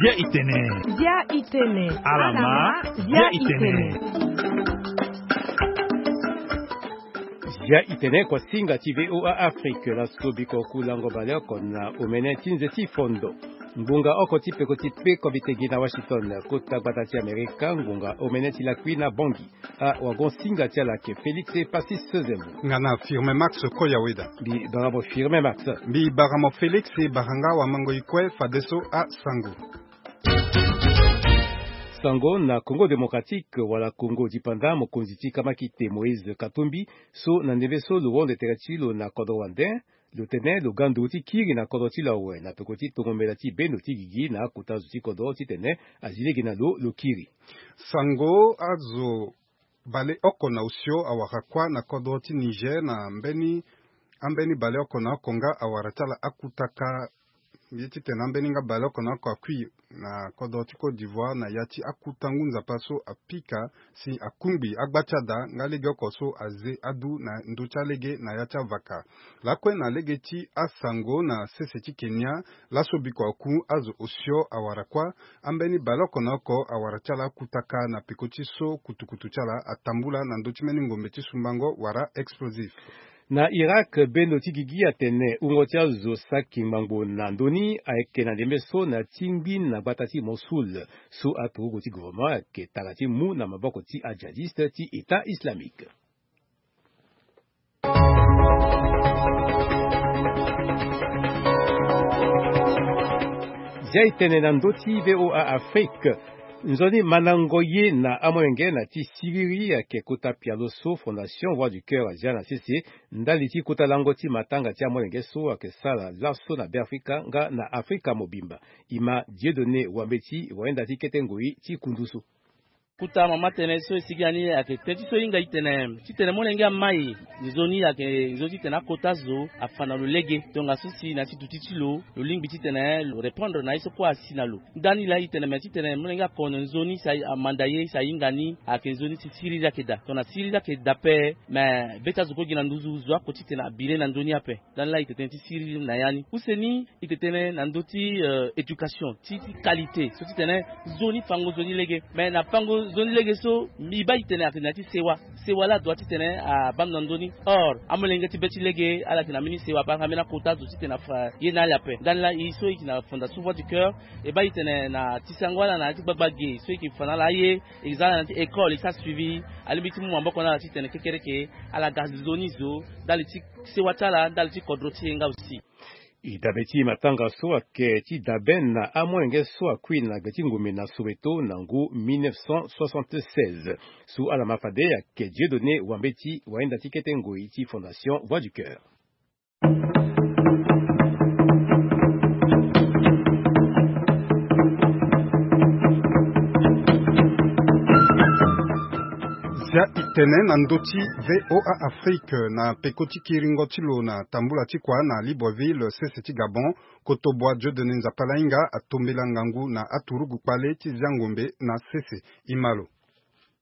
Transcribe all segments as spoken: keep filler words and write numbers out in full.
Dia itene. Dia itene. Alama. Dia itene. Dia itene, ko singa ti VOA Afrique. Laso biko ku lango baleoko na omene ti nze ti fondo. Ngbonga oko ti peko ti pe ko mbi tengi na Washington, kota gbata ti Amerika, ngbonga omene ti lakui na Bangui. A wagon singa ti ala ke Félix Passis Sezemu. Nga na Firmin Max Koyaweda. Mbi bara mo Firmin Max. Mbi bara mo Félix, bara nga wamango i kue fadeso asango. Sango na Congo Démocratique wala Congo Dipanda, mokonzi ti kamakite Moïse Katumbi so na ndembe so lo wonde tere ti lo na kodro wande, lo tene lo ga nduru ti kiri na kodro ti lo awe na peko ti tongo mbela ti bendo ti gigi na akota zo ti kodro titene azi lege na lo, lo kiri. Sango, azo baleoko na osio awara kuâ na kodro ti Niger na mbeni, ambeni baleoko na oko nga awara ti ala akutaka. Ye titene ambeni nga baleoko na oko akui na kodro ti Côte d'Ivoire na ya ti akuta ngu nzapa so apika si akungbi agba ti ada nga legeoko so aze adu na ndö ti alege na ya ti avaka. Lakue na lege ti asango na sese ti Kenya, laso biko aku azo osio awara kuâ, ambeni baleoko na oko awara ti ala akutaka na peko ti so kutukutu ti ala atambula na ndö ti mbeni ngombe ti sumbango wala explosif. Na Irak, bendo ti gigi atene wungo ti azo saki ngbangbo na ndö ni ayeke na ndembe so na tingbi na gbata ti Mossoul. So aturugu ti gouvernement ayeke tara ti mu na maboko ti ajihadiste ti État Islamique. Zia itene na ndö ti VOA Afrique. Nzoni mandango ye na amolenge na ti siriri ayeke kota pialo so Fondation Voix du Cœur azia na sese ndali ti kota lango ti matanga ti amolenge so ayeke sara laso na Beafrika nga na Afrika mobimba. E ma Dieudonné Wambeti, wayenda ti kete ngoi ti kundu so. Kuta mama tënë so e sigi na ni ayeke tënë ti so e hinga e tene, titene molenge amai, nzoni ayeke nzoni titene akota zo afa na lo lege. Tongaso si na ya ti duti ti lo, lo lingbi titene lo répondre na ye so kue asi na lo. Ndani laa e tene, me titene molenge akono nzoni si amanda ye si ahinga ni ayeke nzoni ti siriri ayeke daa. Tongana siriri ayeke daa ape, me be ti azo kue gi na nduzu, zo oko titene abire na ndö ni ape. Ndani laa e tene tënë ti siriri na ya ni. Use ni, e tene tënë na ndö ti, euh, éducation ti, ti qualité so titene nzoni fango nzoni lege. Me na fango nzoni lege so, mbi baa e tene ayeke na ya ti sewa. Sewa laa adoit titene abaa ndo na ndö ni. Or amolenge ti be ti lege ala yeke na mbeni sewa ape, ala yeke na mbeni akota zo titene afa ye na ala ape. Ndani laa e so e yeke na Fondation Voix du Cœur, e baa e tene na ti sango ala na ya ti gbagba ge so e yeke fa na ala aye, e za ala na ya ti école, e sara suivi, alingbi ti mu maboko na ala titene kekereke ala ga nzoni zo ndali ti sewa ti ala, ndali ti kodro ti e nga aussi. E dabe ti matanga so ayeke ti dabe na amolenge so akui na gbe ti ngombe na Soweto na ngu mille neuf cent soixante-seize. So ala ma fade ayeke Dieudonné Wambeti, wayenda ti kete ngoi ti Fondation Voix du Cœur. Zia e tene na ndö ti VOA Afrique na peko ti kiringo ti lo na tambula ti kua na Libreville, sese ti Gabon, kotoboa Dieudonné Nzapalainga atombela ngangu na aturugu kpale ti zia ngombe na sese. E ma lo.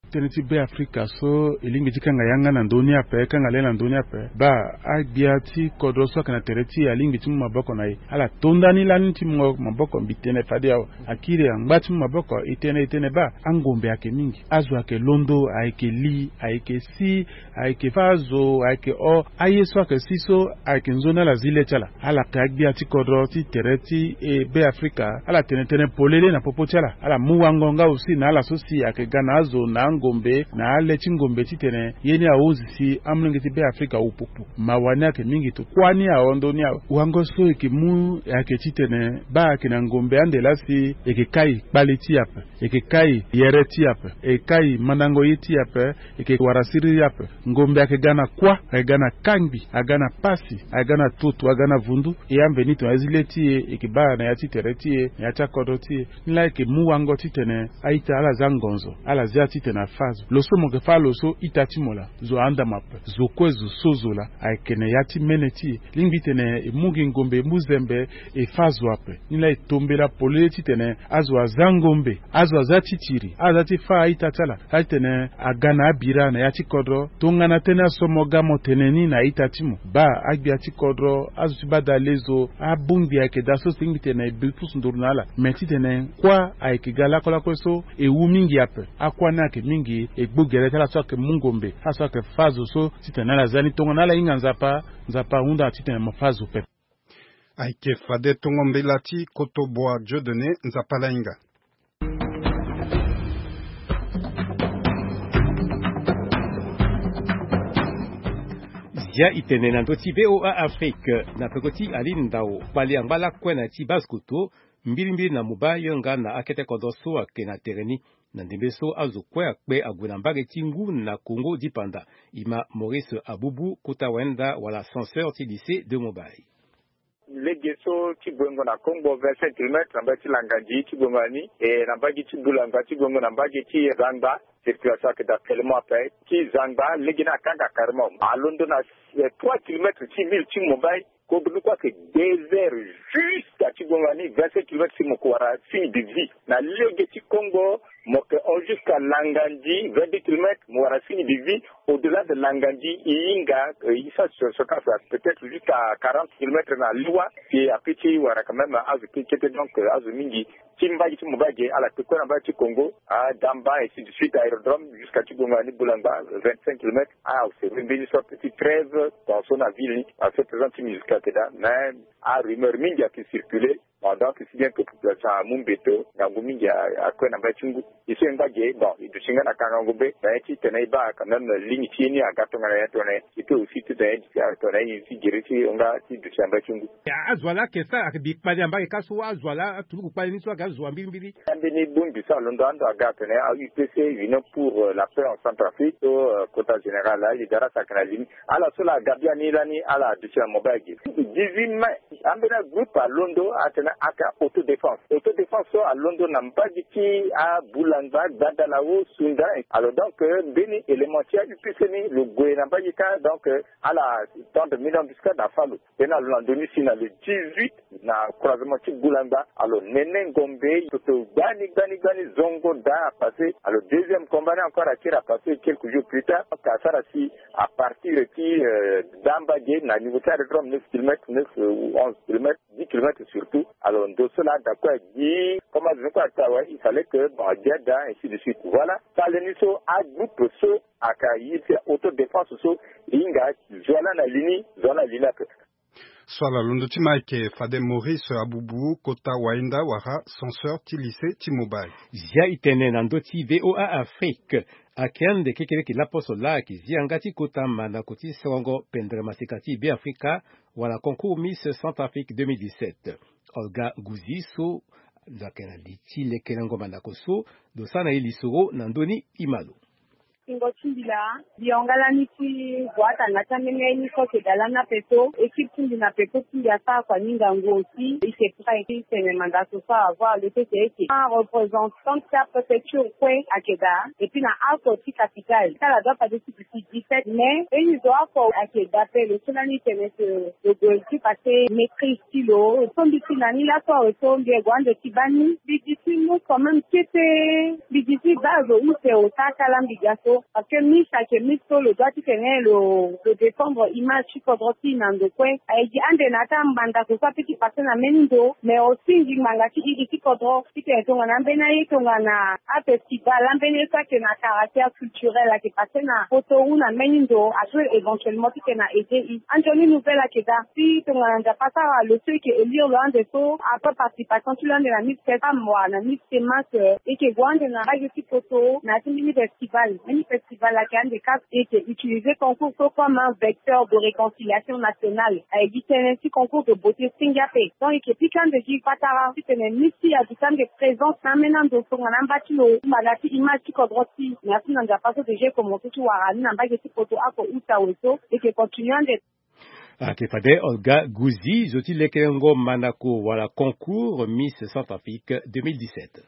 Tënë ti Beafrika so e lingbi ti kanga yanga na ndö ni ape, kanga le na ndö ni ape. Baa, agbia ti kodro so ayeke na tere ti e alingbi ti mu maboko na e. Ala to ndani lani ti mungo maboko, mbi tene fade awe. Akiri angba ti mu maboko, e tene, e tene baa, angombe ayeke mingi. Azo ayeke londo, ayeke li, ayeke si, ayeke fâ azo, ayeke o. Aye so ayeke si so, ayeke nzoni ala zi le ti ala. Ala yeke agbia ti kodro ti tere ti e Beafrika. Ala tene tënë polele na popo ti ala. Ala mu wango nga aussi na ala so si ayeke ga na azo na angombe, na ale ti ngombe titene ye ni ahunzi si amolenge ti Beafrika awu pupu. Mawa ni ayeke mingi, to kuâ ni aho ndö ni awe. Wango so e yeke mu ayeke titene baa ayeke na ngombe ande laa si e yeke kai kpale ti e ape. E yeke kai yere ti e ape, e kai mandango ye ti e ape, e yeke wara siriri ape. Ngombe ayeke ga na kuâ, ayeke ga na kangbi, aga na pasi, aga na tutu, aga na vundu. E ambeni tongana e zi le ti e, e yeke baa na ya ti tere ti e, na ya ti akodro ti e. Ni laa e yeke mu wango titene a-ita ala za ngonzo, ala zia titene Na fâ zo lo so mo yeke fâ lo so ita ti mo laa, zo ahunda mo ape. Zo kue zo so zo laa ayeke na ya ti mene ti e. Lingbi titene e mu gi ngombe e mu zembe, e fâ zo ape. Ni laa e tombela polele titene azo aza ngombe, azo aza titiri, azo aza ti fâ a-ita ti ala. Laa titene aga na abira na ya ti kodro. Tongana tënë aso mo ga mo tene ni na a-ita ti mo, baa agbia ti kodro, azo ti badale zo, abongbi ayeke daa so si lingbi titene e bi pusu nduru na ala. Me titene kuâ ayeke ga lakue lakue so e wu mingi ape. Akuâ ni ayeke mingi e gbu gere ti ala so ayeke mu ngombe, ala so ayeke fâ zo so titene ala za ni. Tongana ala hinga Nzapa, Nzapa ahunda titene mo fâ zo pepe. Ayeke fade tongo mbela ti Kotoboa Dieudonné, Nzapa laa ahinga. Zia e tene na ndö ti V O A Afrique, na peko ti Aline Ndao, kpali angba lakue na ya ti base koto, mbilimbili na Mobile, yanga na akete kodro so ayeke na tere ni. Na ndembe so azo kue akpe ague na mbage ti ngu na Congo dipanda. E ma Maurice Abubu, kota wayenda wala censeur ti lycée de Mobile. Lege so ti Boengo na Kongbo, vingt-cinq kilomètres na mbage ti Langandi ti Boengo na ni, e na mbage ti Boulangba ti Boengo na mbage ti Zangba, circulation ayeke daa tellement ape. Ti Zangba, lege ni akanga carrément. Alondo na, eh, trois kilomètres ti ville ti Mobile, kodro ni kue ayeke désert jusqu'à ti Boengo na ni, vingt-cinq kilomètres si mo ko wara signe de vie. Na lege ti Kongbo, mo yeke hon jusqu'à Langandi, vingt-deux kilomètres, mo wara signe de vie. Au-delà de Langandi, e hinga, euh, e sara sur, sur place, peut-être jusqu'à quarante kilomètres na Liwa, si ape ti wara quand même azo ti kete, donc, euh, azo mingi. Ti mbage ti Mobile ge, ala kpe kue na mbage ti Kongo, a Damba, ainsi de suite, aérodrome, jusqu'à ti Boengo na ni Boulangba, vingt-cinq kilomètres, a observer mbeni sorte ti trêve, tension na ville ni, a fait présent ti musique ayeke daa, mais a rumeur mingi ayeke circuler. Bon, donc, si bien que population amu mbeto, ngangu mingi a, akue na mbage ti ngu. E so e ngba ge, bon, e duti nga na kangangu be, mais titene e baa quand même ligne ti ye ni aga tongana nyen, tongana nyen. E peut aussi titene e duti tongana nyen ti gere ti hon nga ti duti na mbage ti ngu. Ya, azo wa laa ayeke sara, ayeke bi kpali na mbage ka so, azo wa laa aturuku kpali ni so aga zo wa mbirimbiri. Ambeni bongbi so alondo ando aga atene a U P C, Union pour, euh, la paix en Centrafrique, so, euh, kota général, ali darasa ayeke na li ni. Ala so laa aga biani lani, ala duti na Mobile ge. Dix-huit mai, ambeni agroupe alondo atene ayeke autodéfense. Autodéfense so alondo na mbage ti aBoulangba, Gbadalawo, Sounda. Alors donc, euh, mbeni élément ti a U P C ni lo gue na mbage ka, donc, euh, ala tendre mine embuscade, afâ lo. Tena lo na ndö ni si na le dix-huit na croisement ti Boulangba. Alors, nene ngombe, toto gbani, gbani, gbani, zongo daa apassé. Alors, deuxième combat ni encore akiri apassé quelques jours plus tard. Donc, asara si à partir ti, euh, Damba ge na niveau ti aérodrome neuf kilomètres, neuf, euh, ou onze kilomètres, dix kilomètres surtout. Alors, ndo so laa ada kue agi, comme azo ni kue ata awe, il fallait que, bon, agia daa, ainsi de suite. Voilà. Tale ni so, agroupe so, ayeke ye ti autodéfense so, e hinga zo wa laa na li ni, zo wa laa na li ni ape. So ala londo ti ma ayeke fade Maurice Abubu, kota wayenda wala censeur ti lycée ti Mobile. Zia e tene na ndö ti V O A Afrique. Ayeke ande kekereke laposo laa ayeke zi yanga ti kota mandako ti serongo pendere maseka ti Beafrika wala concours Miss Centrafrique deux mille dix-sept. Olga Gouzi so lo yeke na li ti lekerengo mandako so, lo sara na e lisoro na ndö ni, e ma lo. Singo ti mbi laa, mbi hon nga lani ti gue atanga ti ambeni aye ni so ayeke daa lani ape so, équipe ti mbi na peko ti mbi asara kua ni ngangu aussi, e yeke prêt ti tene mandako so avoir le fait que e yeke un représentant ti apréfecture kue ayeke daa, et puis na oko ti capitale. Ti ala doit fade ti duti dix-sept mai, mbeni zo oko ayeke daa ape, lo so lani tene que lo gue ti passé maîtrise ti lo. So mbi ti na ni laso awe so mbi gue ande ti baa ni, mbi duti mu quand même kete. Mbi duti baa zo use o sara ti ala mbi ga so. Parce que Miss ayeke Miss so lo doit titene lo, lo défendre image ti kodro ti e na ndo kue. Aye gi ande na ya ti amandako so apeut ti passé na mbeni ndo, mais aussi ngingbanga ti iri ti kodro titene tongana ambeni aye tongana afestival, ambeni aye so ayeke na caractère culturel ayeke passé na poto ou na mbeni ndo, a peut éventuellement titene a aider e. Anzoni nouvelle ayeke daa. Si tongana Nzapa asara lo so e yeke élire lo ande so, après participation ti lo ande na Miss Kessa, mo wara na Miss Semas, euh, e yeke gue ande na mbage ti poto na ya ti mbeni festival. Mbeni festival ayeke ande kâ, e yeke utiliser concours so comme un vecteur de réconciliation nationale. Aye gi tënë ti concours de beauté senge ape. Donc e yeke pika ande gi patara titene Miss ti e aduti ande présence na ambeni ando so tongana amba ti lo, mbala ti image ti kodro ti e. Merci na Nzapa so déjà e commencer ti wara ni na mbage ti poto oko use awe so, e yeke continuer ande. Ayeke fade Olga Gouzi, zo ti lekerengo mandako wala concours Miss Centrafrique deux mille dix-sept.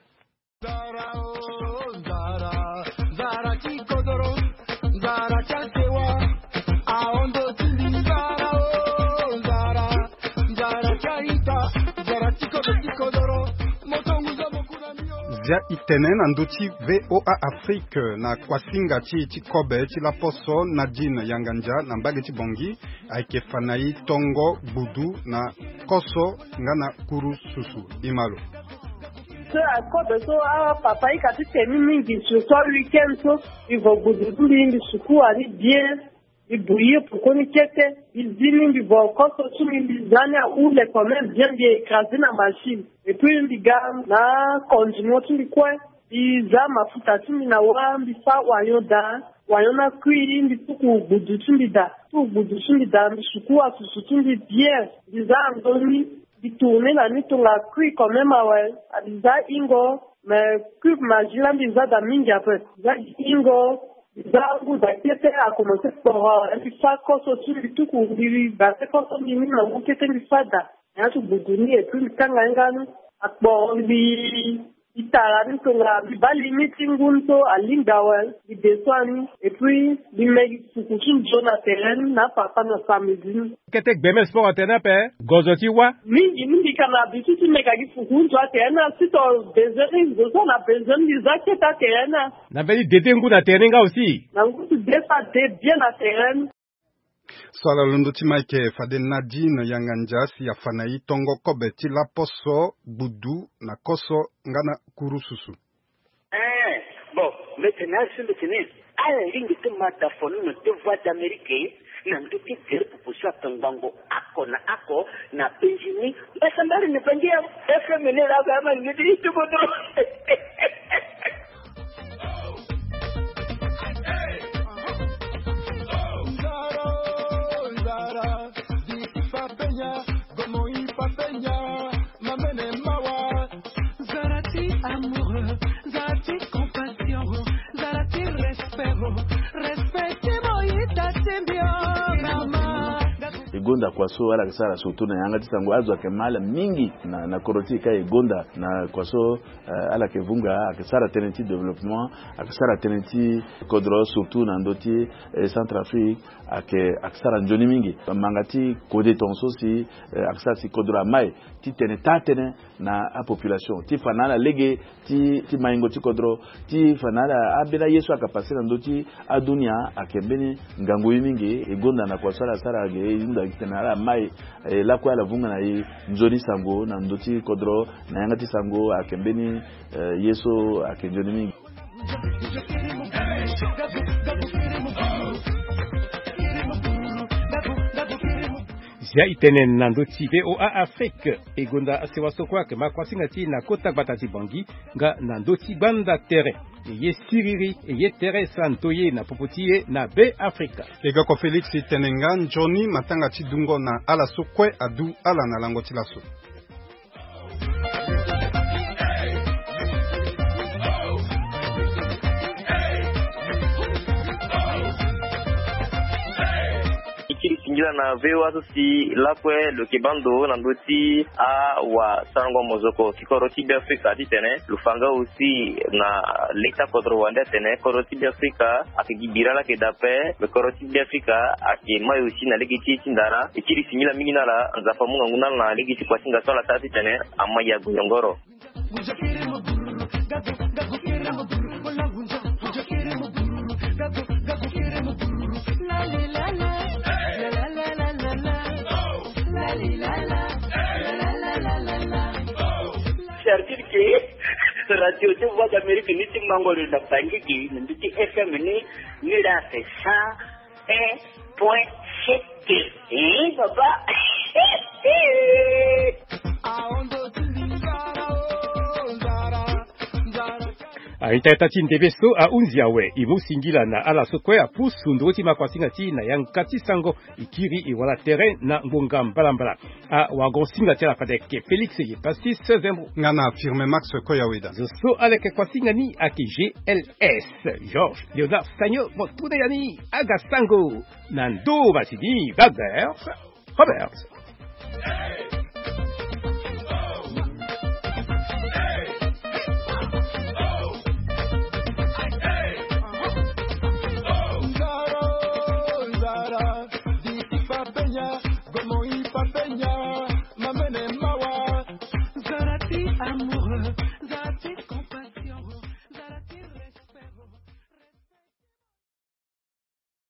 Ya itene na ndö ti VOA Afrique na kuasinga ti e ti kobe ti laposo Nadine Yangandia na mbage ti Bangui ayeke fa na e tongo gbudu na koso nga na kuru susu. Imalo. So akobe so apapa ika ti teni mingi surtout aweekend so, mbi vo gbudu ti mbi mbi sukua ni bien. Mbi bouillir pour koni kete. Mbi zi ni mbi vo koso ti mbi mbi za ni ahule quand même bien, mbi écraser na machine. Et puis mbi ga na condiment ti mbi kue. Mbi za mafuta ti mbi na wâ, mbi fâ oignon daa, oignon ni akui, mbi tuku gbudu ti mbi daa, tuku gbudu ti mbi daa, mbi sukua susu ti mbi bien. Mbi za anzoni, mbi tourner na ni tongana akui quand même awe. Mbi za hingo, mais cube Maggi la mbi za daa mingi ape. Mbi za hingo, mbi za angu daa kete, akomanse kporo awe. Mbi fâ koso ti mbi tuku, mbi base koso mbi ni na ngu kete mbi fâ daa. Na yâ ti gbudu ni et puis mbi kanga ye nga ni. Akporo mbi mbi tara ni tongana mbi baa limite ti ngu ni so alingbi awe. Mbi descend ni et puis mbi me gi fuku ti nzoni na tere ni na apapa na samedi ni. Kete gbeme sport atene ape. Gozo ti wâ. Mingi ni mbi ka na habitude ti me ka gi fuku ti nzoni atere ni na sito. Besoin ni zo so na besoin ni mbi za kete atere ni. Na mbeni dede ngu na tere ni nga aussi. Na ngu ti de so ade bien na tere ni. So ala londo ti ma ayeke fade Nadine Yangandia si afa na e tongo kobe ti laposo, gbudu na koso nga na kuru susu. Eh, bon, mbi tene asi mbi tene ala lingbi ti ma da fono na deux voix d'Amérique na ndö ti tere popo so atongbango oko na oko na Benjini. Mbasambari na Bangi ya F M ni la ba ma ni ti tubo dro. Zara ti amoureux, zara ti compassion, zara ti respect, respect ti mo ita ti mbi o mama. E gonda kua so ala yeke sara surtout na yanga ti sango, azo ayeke ma ala mingi na, na kodro ti e ka e gonda na kua so, eh, ala yeke vunga, ayeke sara tënë ti développement, ayeke sara tënë ti kodro surtout na ndö ti, eh, Centrafrique, ayeke, ayeke sara nzoni mingi. Manga ti kode tongaso si, eh, ayeke sara si kodro amai ti tene taa tënë na apopulation ti fa na ala lege ti, ti maingo ti kodro, ti fa na ala ambeni aye so ayeke pase na ndö ti adunia. Ayeke mbeni ngangu ye mingi. E gonda na kua so ala sara ge, e hunda gi tene ala mai, e lakue ala vunga na e nzoni sango na ndö ti kodro na yanga ti sango. Ayeke mbeni, eh, ye so ayeke nzoni mingi. Zia e tene na ndö ti VOA Afrique. E gonda asewa so kue ayeke ma kuasinga ti e na kota gbata ti Bangui nga na ndö ti gbanda tere. E ye siriri, e ye tere, sa ndoye na popo ti e na Be Afrika. E ga kua Félix e tene nga nzoni matanga ti dungo na ala so kue adu ala na lango ti laso. E kiri singila na VOA so si lakue lo yeke baa ndo na ndö ti awasarango mozoko ti kodro ti Be Afrika titene lo fa nga aussi na leta kodro wande atene kodro ti Be Afrika ayeke gi bira laa ayeke daa ape, me kodro ti Be Afrika ayeke mai aussi na lege ti e ti ndara. E kiri singila mingi na ala, Nzapa amu ngangu na ala na lege ti kuasinga so ala sara titene amai ague yongoro. Certitude ke radio ti Voix d'Amérique ni ti mango lo na Bangi ke na ndö ti F M ni, ni la fait cent un point sept. Eh, papa. Aita ita ti ndebe so ahunzi awe, e mu singila na ala so kue apusu nduru ti ma kuasinga ti e na yanga ti sango. E kiri e wara tere na ngonga mbalambala. Awagosinga ti ala fade ayeke Félix Yepassis Zembo. Nga na Firme Max Koyaweda. Zo so ala yeke kuasinga ni ayeke G L S Georges Léonard Sagno, mo tuna ya ni aga sango na ndo masini Babers Roberts.